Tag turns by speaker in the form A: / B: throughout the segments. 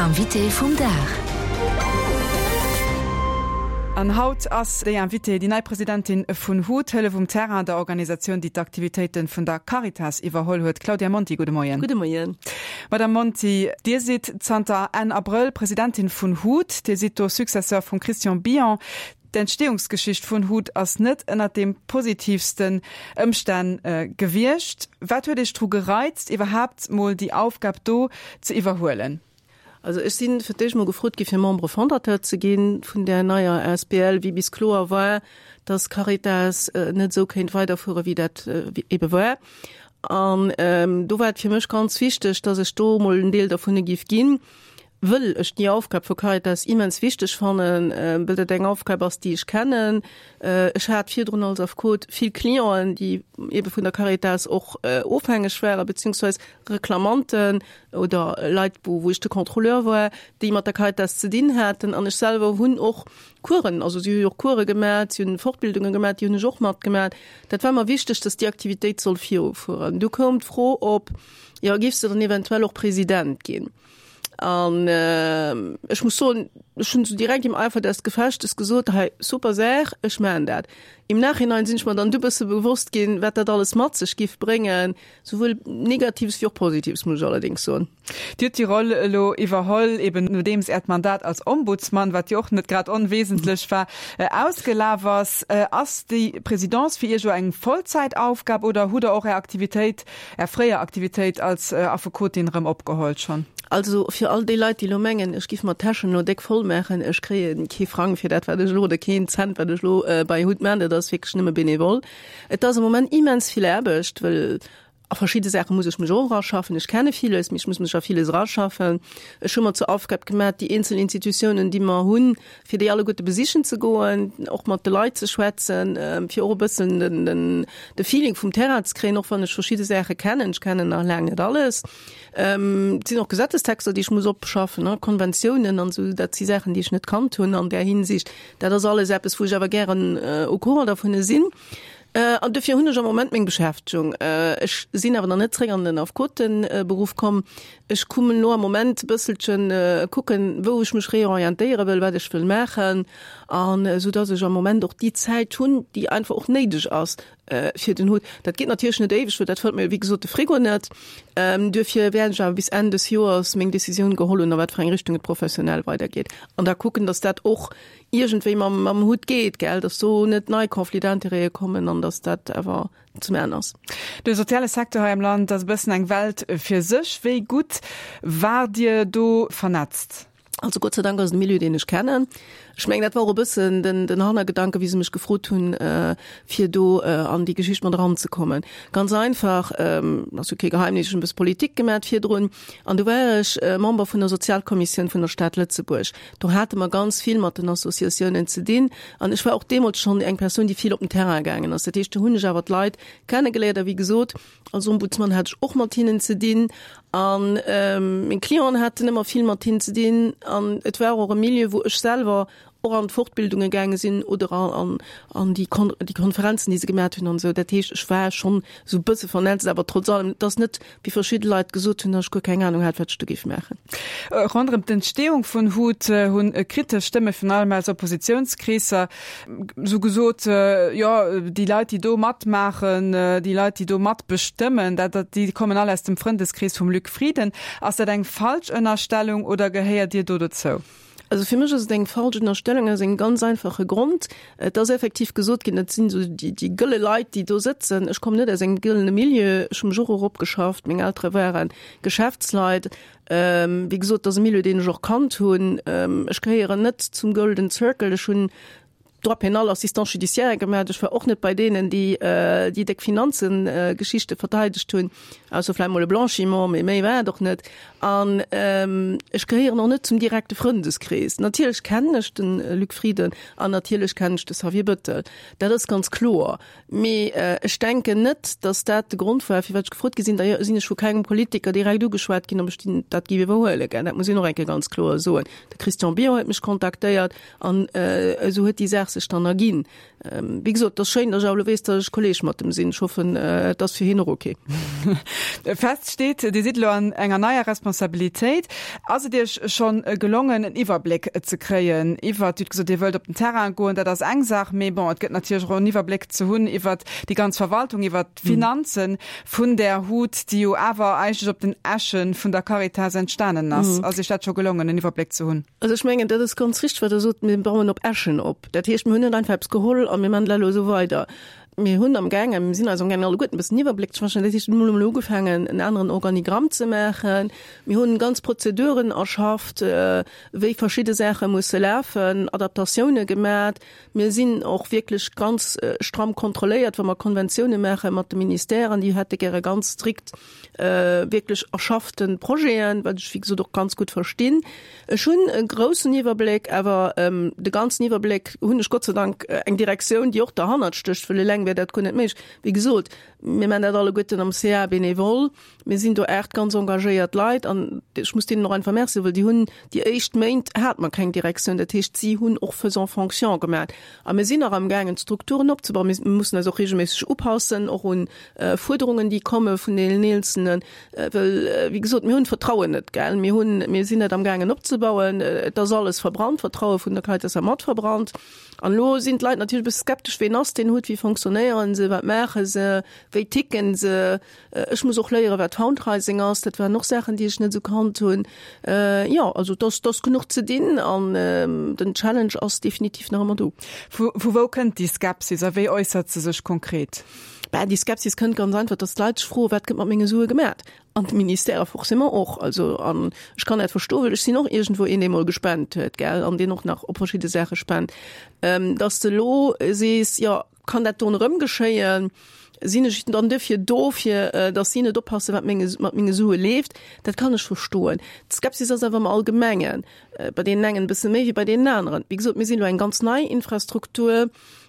A: Invité vum Dag.
B: An haut ass déi Invitée déi nei Presidentin vun hut, Hëllef um Terrain, der Organisatioun, déi d'Aktivitéite vun der Caritas iwwerholl huet. Claudia Monti, gudde Moien.
C: Gudde Moien.
B: Madame Monti, Dir sidd zanter Enn Abrëll Presidentin vun hut. Dir sidd do Successeur vum Christian Billon. D'Entstehungsgeschicht vun hut ass net ënnert de positivsten Ëmstänn gewiescht. Wat huet Iech dru gereizt, iwwerhaapt mol déi Aufgab do ze iwwerhuelen?
C: Also ech sinn fir d'éischt mol gefrot gi fir Membre fondateur ze ginn vun där neier asbl, wéi bis kloer war, dass Caritas net esou kéint weiderfuere wéi dat ebe war. An do war et fir mech ganz wichteg, dass ech do mol en Deel dovunner giff ginn. Wëll ech déi Aufgab vu Caritas immens wichteg fannen, wëll dat eng Aufgab ass, déi ech kennen. Ech hat virdrun als Affekot vill Clienten, déi eebe vun der Caritas och ofhängeg waren, beziehungsweis Reklamanten oder Leit, wou ech de Contrôleur war, déi mat der Caritas ze dinn haten. An ech selwer hunn och Coursen, also si hu jo och Course gemat, si hunn Fortbildunge gemat, déi hunn ech och matgemat. Dat war mer wichteg, dass déi Aktivitéit soll virufueren. Du koum d'Fro op, jo, géifs de dann eventuell och President ginn? An ech muss soen, ech hunn esou direkt im Eifer des Gefechtes gesot, hei super Saach, ech maachen dat. Im Nachhinein sinn ech mer dann du bësse bewosst ginn, wat dat alles mat sech giff bréngen, souwuel Negatives wéi och Positives, muss ech allerdéngs soen.
B: Dir hutt déi Roll elo iwwerholl, eben nodeems Äert Mandat als Ombudsman, wat jo och net grad onwesentlech war, ausgelaf ass. Ass déi Présidence fir Iech elo eng Vollzäitaufgab oder hutt Der och Är Aktivitéit Är fréier Aktivitéit als Affekotin erëm opgeholl schonn?
C: Also fir all déi Leit, déi elo mengen, ech giff mer d'Täschen elo déck voll maachen, ech kréie kee Frang fir dat, wat ech elo, oder keen Cent, wat ech elo bei hut maachen, dat ass wierklech nëmme bénévol. Et ass am Moment immens vill Aarbecht, wëll a verschidde Saache muss ech mech och eraschaffen. Ech kenne villes, mee ech muss mech a villes eraschaffen. Ech hu mer zur Aufgab gemaach, déi eenzel Institutiounen, déi mer hunn, fir déi alleguerte besichen ze goen, och mat de Leit ze schwätzen, fir och e bëssen den de Feeling vum Terrain ze kréien, och wann ech verschidde Saache kennen. Ech kennen nach laang net alles. Et sinn och Gesetzestexter, déi ech muss opschaffen, Konventiounen an esou, dat si Saachen, déi ech net kannt hunn an där Hinsicht. Dat ass alles eppes, wou ech awer gären au courant dervun sinn. An dofir hunn ech am Moment meng Beschäftegung. Ech sinn awer nach net zréck an den Affekoteberuff komm. Ech kommen elo am Moment e bësselchen kucken, wou ech mech reorientéiere wëll, wat ech wëll maachen, an esou dass ech am Moment och déi Zäit hunn, déi einfach och néideg ass fir den Hut. Dat geet natierlech net éiweg, well dat fëllt mir wéi gesot de Frigo net. Duerfir wäert ech awer bis Enn des Joers meng Decisioun geholl hunn, a wat fir eng Richtung et professionell weidergeet, an da kucken, dass dat och iergendwéi mam, mam Hutt geet, gell, dass do net nei Conflits d'intérêtë kommen an dass dat awer zum Enn ass.
B: De soziale Secteur hei am Land ass e bëssen eng Welt fir sech. Wéi gutt waart Dir do vernetzt?
C: Also Gott sei Dank ass et e Milieu, deen ech kennen. Ech mengen, dat war och e bëssen den, den Hannergedanke, wéi se mech gefrot hunn, fir do an déi Geschicht mat eranzekommen. Ganz einfach, ass jo kee Geheimnis, ech hunn e bësse Politik gemat virdrun an do war ech Member vun der Sozialkommissioun vun der Stad Lëtzebuerg. Do hate mer ganz vill mat den Associatiounen ze dinn an ech war och deemools schonn eng Persoun, déi vill op den Terrain gaangen ass. Dat heescht, do hunn ech awer d'Leit kennegeléiert a wéi gesot, als Ombudsman hat ech och mat hinnen ze dinn a meng Clienten haten ëmmer vill mat hinnen ze dinn an et war och e Milieu, wou ech selwer och an d'Fortbildunge gaange sinn oder an an déi Kon déi Konferenzen, déi se gemat hunn an esou. Dat heescht, ech war schonn esou e bësse vernetzt, awer trotz allem, et ass net, wéi verschidde Leit gesot hunn, datt ech guer keng Anung hat, wat ech do géif maachen.
B: Ronderëm d'Entstehung vun hut hunn kritesch Stëmme virun allem aus Oppositiounskreesser esou gesot, jo, déi Leit, déi do matmaachen, déi Leit, déi do matbestëmmen, dat, déi kommen all aus dem Frëndeskrees vum Luc Frieden. Ass dat eng falsch Ënnerstellung oder gehéiert Dir do dozou?
C: Also fir mech ass et eng falsch Ënnerstellung aus engem ganz einfache Grond. Et ass effektiv gesot ginn, dat sinn esou déi, déi gëlle Leit, déi do sëtzen. Ech kommen net aus engem gëllene Milieu. Ech hu mech och eropgeschafft. Meng Eltere ware Geschäftsleit. Wéi gesot, et ass e Milieu, deen ech och kannt hunn. Ech gehéieren net zum Golden Circle. Ech hunn Droit pénal, Assistant judiciaire gemat. Ech war och net bei deenen, déi déi déck Finanzengeschichte verteidegt hunn, ausser vläicht mol e Blanchiment, mee méi war et och net. An ech gehéieren och net zum direkte Frëndeskrees. Natierlech kennen ech de Luc Frieden an natierlech kennen ech de Xavier Bettel, dat ass ganz kloer. Mee ech denken net, datt dat de Grond war, firwat ech gefrot gi sinn. D'ailleurs sinn ech vu kengem Politiker direkt ugeschwat ginn, ob ech dat géif iwwerhuelen. Dat muss een och eng Kéier ganz kloer soen. De Christian Billon huet mech kontaktéiert. An esou huet déi Saach sech dann erginn. Wéi gesot, et ass schéin, datt ech awer elo weess, datt ech Kolleeg mat em sinn. Ech hoffen, et ass fir hien och ok.
B: Fest steet, Dir sidd elo an enger neier. Responsabilitéit. Ass et Iech schonn gelongen, en Iwwerbléck ze kréien iwwert, Dir hutt gesot, Dir wëllt op den Terrain goen, dat ass eng Saach, mee bon, et gëtt natierlech och en Iwwerbléck ze hunn iwwert déi ganz Verwaltung, iwwert d'Finanzen vun där HUT, déi jo awer eigentlech op den Äsche vun der Caritas entstanen ass. Ass Iech dat scho gelongen, en Iwwerbléck ze hunn?
C: Also ech mengen, dat ass ganz richteg, wat Der sot, mir bauen op Äschen op. Dat heescht, mir hunn net einfach eppes geholl a mir maachen dat elo esou weider. Mir hunn amgaangen, mir sinn eis amgaangen alleguerten e bëssen Iwwerbléck ze verschaffen. Dat heescht, mir hunn emol ugefaangen, en aneren Organigramm ze maachen. Mir hunn ganz Prozeduren erschafft, wéi verschidde Saache musse lafen, Adaptatioune gemat. Mir sinn och wierklech ganz stramm kontrolléiert, wa mer Konventioune maache mat de Ministèren. Déi hätte gäre ganz strikt wierklech erschaffte Projeten, wat ech wéi gesot och ganz gutt verstinn. Ech hunn e groussen Iwwerbléck, awer de ganzen Iwwerbléck hunn ech Gott sei Dank eng Direktioun, déi och derhannert stécht, well eleng wär dat guer net méiglech. Wéi gesot, mir maachen dat alleguerten am CA bénévole. Mir sinn do 8 ganz engagéiert Leit an ech muss deenen och einfach Merci soen, well déi hunn déi éischt Méint hate mer keng Direktioun, dat heescht si hunn och faisant fonction gemaach. A mir sinn nach amgaangen d'Strukturen opzebauen. Mir mussen eis och regelméisseg upassen, och un Fuerderungen, déi komme vun deenen Eenzelnen, well wéi gesot, mir hunn d'Vertrauen net, gell. Mir hunn, mir sinn dat amgaangen opzebauen. Et ass alles verbrannt, d'Vertraue vun der Caritas ass mat verbrannt. An elo sinn d'Leit natierlech e bësse skeptesch, Ween ass deen Hutt, wéi fonctionnéieren se, wat maache se, wéi ticken se? Ech muss och léieren, wat Fundraising ass. Dat waren och Saachen, déi ech net esou kannt hunn. Jo, also et ass, et ass genuch ze dinn an den Challenge ass definitiv nach ëmmer do.
B: Vu wou kënnt déi Skepsis a wéi äussert se sech konkret?
C: Bah, déi Skepsis kënnt ganz einfach, dass d'Leit sech froen, wat gëtt mat menge Sue gemat? An d'Ministèrë forcément och. Also, an ech kann dat verstoen, well ech sinn och iergendwou een, dee mol gespent huet, gell, an deen och nach op verschidde Saache spent. Dass de elo sees, jo, kann dat do erëm geschéien? Sinn ech dann duerfir do, fir dass si net oppassen, wat menge, mat menge Sue leeft? Dat kann ech verstoen. D'Skepsis ass awer am Allgemengen bei deenen engen e bësse méi wéi bei deenen aneren. Wéi gesot, mir sinn elo eng ganz nei Infrastruktur.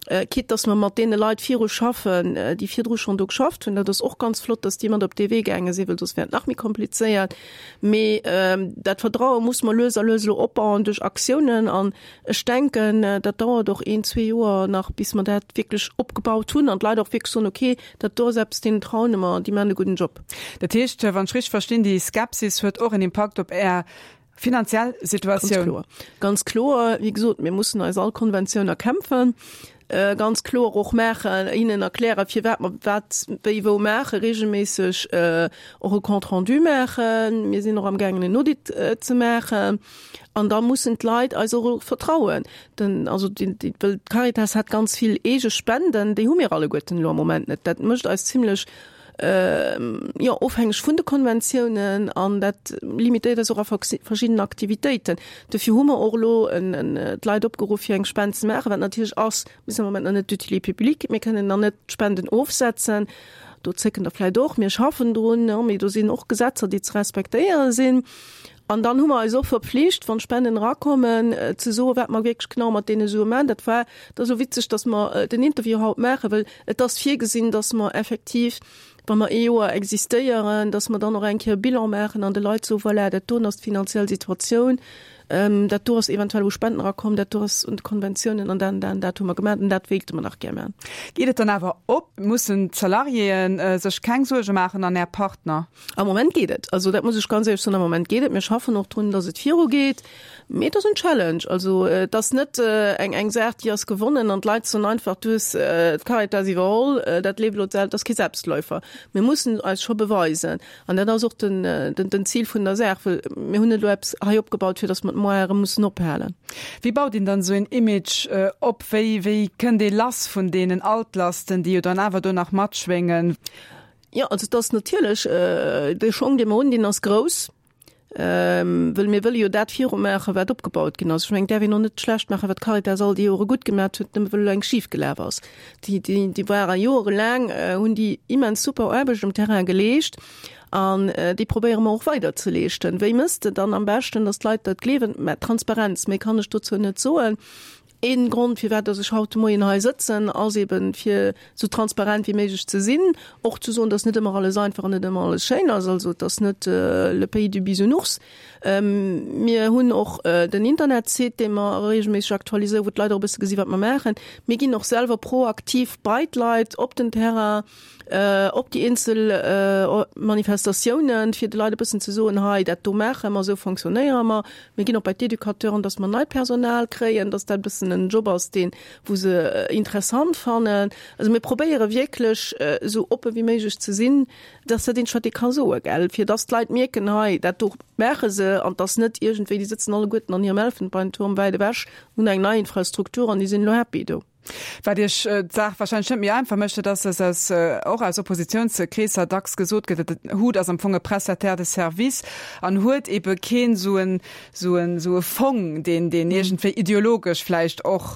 C: Quitte dass mer mat deene Leit viru schaffen, déi virdru schonn do geschafft hunn. Dat ass och ganz flott, dass déi mat op dee Wee gaange sinn, well soss wär et nach méi komplizéiert. Mee dat Vertraue muss mer lues a lues elo opbauen duerch Aktiounen. An ech denken, dat dauert och een, zwee Joer nach, bis mer dat wierklech opgebaut hunn an d'Leit och wierklech soen, okay, dat do ass eppes, deenen traune mer, déi maachen e gudden Job.
B: Dat heescht, wann ech richteg verstinn, déi Skepsis huet och en Impakt op Är Finanziell Situatioun.
C: Ganz kloer. Ganz kloer. Wéi gesot, mir mussen eis all Konventioun erkämpfen. Ganz kloer och maachen, hinnen erklären, firwat mer wat wéi wou maachen, regelméisseg och e Compte rendu maachen. Mir sinn och amgaangen en Audit ze maachen. An da mussen d'Leit eis och vertrauen. Den, also déi, déi, well d'Caritas hat ganz vill eege Spenden, déi hu mir alleguerten elo am Moment net. Dat mécht eis zimlech jo, ofhängeg vun de Konventiounen an dat limitéiert eis och a verschiddenen Aktivitéiten. Dofir hu mer och elo d'Leit opgeruff, fir eng Spend ze maachen, wat natierlech ass, mir sinn am Moment nach net d'utilité publique, mir kënnen nach net d'Spenden ofsetzen. Do zécken der vläicht och, mir schaffen drun, mee do sinn och Gesetzer, déi ze respektéiere sinn. An dann hu mer eis och verpflicht, wann d'Spenden erakommen, ze soen, wat mer wierklech genau mat deene Sue maachen. Dat war, et ass elo witzeg, dass mer den Interview haut maachen, well et ass virgesinn, dass mer effektiv, wa mer ee Joer existéieren, dass mer dann och eng Kéier e Bilan maachen an de Leit soen, voilà, dat doen ass d'finanziell Situatioun, dat do ass eventuell u Spenden erakomm, dat do ass un de Konventiounen an dat an dat an dat hu mer gemaach an dat wéilte mer nach gär maachen.
B: Geet et dann awer op? Mussen d'Salariéeë sech keng Suerge maachen an Är Partner?
C: Am Moment geet et. Also dat muss ech ganz éierlech soen, am Moment geet et. Mir schaffen och drun, datt et virugeet. Mee et ass en Challenge. Also et ass net eng eng Saach, déi ass gewonnen an d'Leit soen einfach, du hues d'Caritas iwwerholl, dat leeft elo, dat ass kee Selbstläufer. Mir mussen eis scho beweisen. An dat ass och den den Zil vun der Saach, well mir hunn net elo eppes hei opgebaut, fir datt mer et moar erëm mussen ophalen.
B: Wéi baut een dann esou een Image op? Wéi wéi kënnt ee lass vun deenen Altlasten, déi jo dann awer do nach matschwéngen?
C: Jo, also et ass natierlech, dee Schong, dee mer hunn, deen ass grouss, wëll mir wëlle jo dat virumaachen, wat opgebaut ginn ass. Ech mengen, et däerf een och net schlecht maachen, wat d'Caritas all déi Jore gutt gemaat huet, nëmme wëll elo eng schif gelaf ass. Déi, déi, déi ware jorelaang, hunn déi immens super Aarbecht um Terrain geleescht an déi probéiere mer och weider ze leeschten. Wéi mëss de dann am beschten, datt d'Leit dat gleewen? Mä Transparenz, méi kann ech dozou net soen. Een Grond, firwat dass ech haut de Moien hei sëtzen, ass eben, fir esou transparent wéi méiglech ze sinn, och ze soen, dass net ëmmer alles einfach an net ëmmer alles schéin ass. Also et ass net le pays du bisounours. Mir hunn och den Internetsite, dee mer regelméisseg aktualiséieren, wou d'Leit och e bësse gesi wat mer maachen. Mir ginn och selwer proaktiv bei d'Leit op den Terrain, op déi eenzel Manifestatiounen, fir de Leit e bëssen ze soen, hei dat do maache mer, esou fonctionnéiere mer. Mir ginn och bei d'Educateuren, datt mer neit Personal kréien, datt dat e bëssen en Job ass, deen, wou se interessant fannen. Also mir probéiere wierklech esou oppe wéi méiglech ze sinn, datt dat eent, wat ee ka soen, gell, fir datt d'Leit mierken, hei dat do maache se an 't ass net iergendwéi, déi sëtzen alleguerten an hirem Elfenbeinturm wäit ewech, hunn eng nei Infrastruktur an déi sinn elo happy do.
B: Wat Iech d'Saach wahrscheinlech net méi einfach mécht, dat ass, dass aus, och aus Oppositionskreesser dacks gesot gëtt, dat HUT ass am Fong e Prestataire de service an huet ebe keen esou en, esou en, esou e Fong, deen, deen iergendwéi ideologesch vläicht och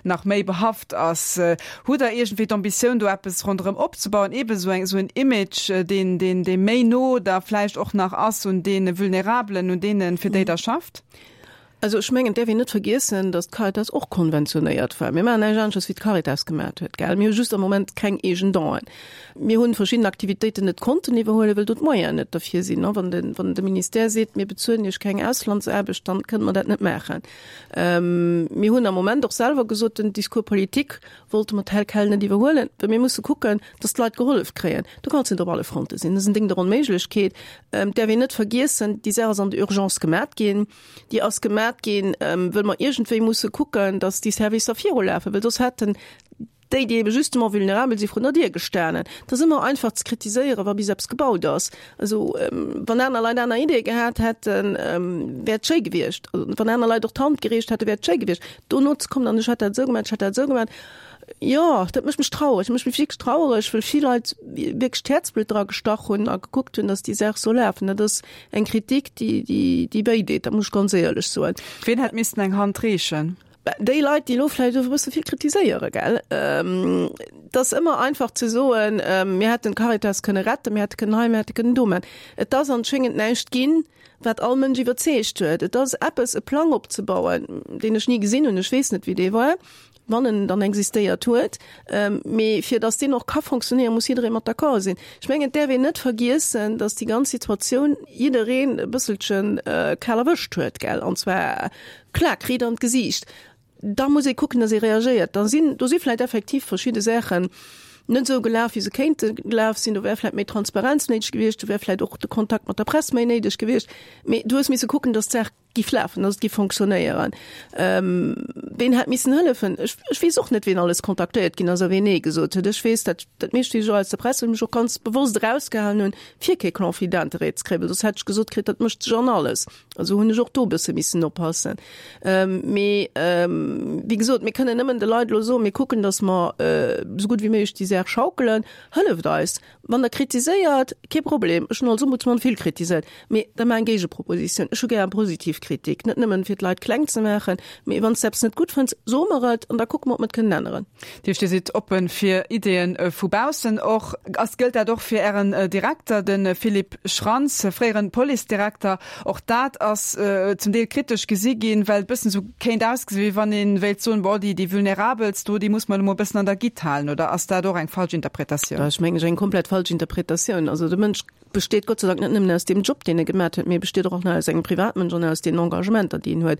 B: nach méi behaft ass. Hutt Der iergendwéi d'Ambitioun, do eppes ronderëm opzebauen, ebe esou eng, esou en Image, deen, deen, dee méi no da vläicht och nach ass un deene Vulnerabelen, un deenen, fir déi Der schafft?
C: Also ech mengen, et däerf een net vergiessen, datt d'Caritas och konventionéiert war. Mir maachen näischt aneschters wéi d'Caritas gemaat huet, gell. Mir hu just am Moment keng eegen Donen. Mir hunn verschidden Aktivitéiten net konnten iwwerhuelen, well do d'Moyenen net derfir sinn. Wann de, wann de Ministère seet, mir bezuelen Iech keng Auslandsaarbecht, dann kënne mer dat net maachen. Mir hunn am Moment och selwer gesot, den Discours politique wollte mer tel quel net iwwerhuelen, well mir musse kucken, datt d'Leit gehollef kréien. Do kanns de net op alle Fronte sinn. Dat ass en Ding der Onméiglechkeet. Et däerf een net vergiessen, déi Saach ass an der Urgence gemat ginn. Déi ass gemat ginn, wëll mer iergendwéi musse kucken, datt déi Servicer virulafen, well soss hätten déi, déi ebe justement vulnerabel si vrun der Dier gestanen. Et ass ëmmer einfach ze kritiséieren, wa bis eppes gebaut ass. Also wann aner Leit aner Ideeë gehat hätten, wär et schéi gewiescht. Wann aner Leit och d'Hand gereecht hätten, wär et schéi gewiescht. Dono ze kommen an ech hätt dat esou gemat, ech hätt dat esou gemat, jo, dat mécht mech trauereg. Dat mécht mech wierklech trauereg, well vill Leit wierklech d'Häerzblutt dra gestach hunn a gekuckt hunn, datt déi Saach soll lafen. Dat ass eng Kritik, déi, déi, déi wéi deet, dat muss ech ganz éierlech soen.
B: Wien hätt missten eng Hand reechen?
C: Déi Leit, déi elo vläicht e bësse vill kritiséieren, gell. Et ass ëmmer einfach ze soen, mir hätten d'Caritas kënne retten, mir hätte kënnen hei, mir hätte kënnen do maachen. Et ass anschéngend näischt ginn, wat all Mënsch iwwerzeegt huet. Et ass eppes, e Plang opzebauen, deen ech ni gesinn hunn, ech weess net, wéi dee war, wann en dann existéiert huet. Mee fir datt deen och ka fonctionnéieren, muss jidderee mat d'accord sinn. Ech mengen, et däerf een net vergiessen, datt déi ganz Situatioun jiddereen e bësselche kal erwëscht huet, gell, an zwar klak, riit an d'Gesiicht. Da muss ee kucken, datt ee reagéiert. Da sinn, do si vläicht effektiv verschidde Saachen net esou gelaf, wéi se kéinte gelaf sinn. Do wär vläicht méi Transparenz néideg gewiescht, do wär vläicht och de Kontakt mat der Press méi néideg gewiescht. Mee du hues misse kucken, datt d'Saach giff lafen, datt et giff fonctionnéieren. Ween hätt missen hëllefen? Ech, ech weess och net, ween alles kontaktéiert ginn ass a ween Nee gesot huet. Ech weess dat, dat meescht weess ech och aus der Press, well ech mech och ganz bewosst erausgehalen hunn, fir kee Conflit d'intérêt ze kréien, well soss hätt ech gesot kritt, dat mëscht sech an alles. Also hunn ech och do e bësse missen oppassen. Mee wéi gesot, mir kënnen nëmmen de Leit elo soen, mir kucken, datt mer esou gutt wéi méiglech déi Saach schaukelen. Hëlleft eis! Wann Der kritiséiert, kee Problem, ech hunn als Ombudsman vill kritiséiert, mee da maach eng Géigepropositioun. Ech hu gär positiv Kritik, net nëmmen fir d'Leit kleng ze maachen, mee wann s de eppes net gutt fënns, so mer et an da kucke mer, ob mer et kënnen änneren.
B: Dat heescht, Dir sidd oppe fir Ideeën vu baussen och. Ass, gëllt dat och fir Ären Direkter, de Philippe Schrantz, fréieren Policedirekter? Och dat ass zum Deel kritesch gesi ginn, well et bëssen esou kéint ausgesinn, wéi wann ee wéilt soen, bon, déi, déi Vulnerabelst do, déi muss mer elo mol e bëssen an der Gitt halen. Oder ass dat och eng falsch Interpretatioun?
C: Dat ass, mengen ech, eng komplett falsch Interpretatioun. Also de Mënsch besteet Gott sei Dank net nëmmen aus deem Job, deen e gemat huet, mee e besteet och nach aus engem Privatmënsch an aus deenen Engagementer, déi en huet.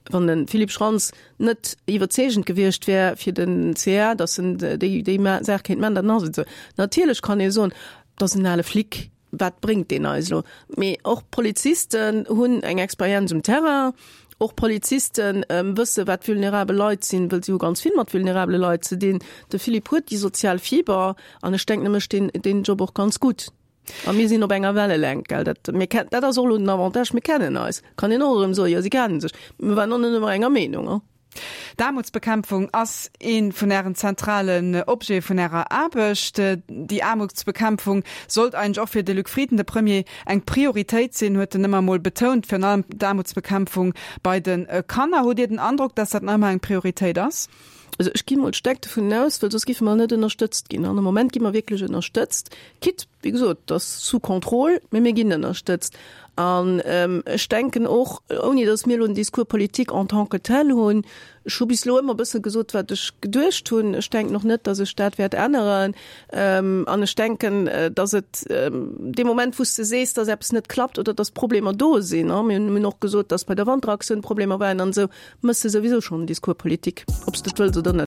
C: Wann de Philippe Schrantz net iwwerzeegend gewiescht wär fir den CA, datt en déi, déi Saach kéint man, dann ass et esou. Natierlech kann ee soen, dat ass en ale Flic, Wat bréngt deen eis elo? Mee och Polizisten hunn eng Experienz um Terrain. Och Polizisten wësse wat vulnerabel Leit sinn, wëll si hu ganz vill mat vulnerabele Leit ze dinn. De Philippe huet déi sozial Fiber an ech denken, e mécht deen, deen Job och ganz gutt. A mir sinn op enger Wellelängt, gell. Dat, mir ken, dat ass och elo den Avantage, mir kennen eis. Kann een och erëm soen, jo si kennen sech. Mir waren och net ëmmer enger Meenung, hein.
B: D'Aarmutsbekämpfung ass ee vun Ären zentralen Objete vun Ärer Aarbecht. Déi Aarmutsbekämpfung sollt eigentlech och fir de Luc Frieden, de Premier, eng Prioritéit sinn, huet en ëmmer emol betount, virun allem d'Aarmutsbekämpfung bei de Kanner. Hutt Dir den Androck, datt dat nach ëmmer eng Prioritéit ass?
C: Also ech gi mol staark dovun aus, well soss géife mer net ënnerstëtzt ginn. An am Moment gi mer wierklech ënnerstëtzt, quitte. Wéi gesot, et ass sous contrôle, mee mir ginn ënnerstëtzt. An ech denken och, ouni datt mir elo en Discours politique en tant que tel hunn, ech hu bis elo ëmmer e bësse gesot, wat ech geduecht hunn, ech denken och net, datt ech dat wäert änneren. An ech denken, datt et dee Moment, wou s de sees, datt eppes net klappt oder datt Problemer do sinn, mir hunn och gesot, datt bei der Wanteraktioun Problemer waren an esou, méchs de souwisou schonn en Discours politique, ob s de et wëlls oder net.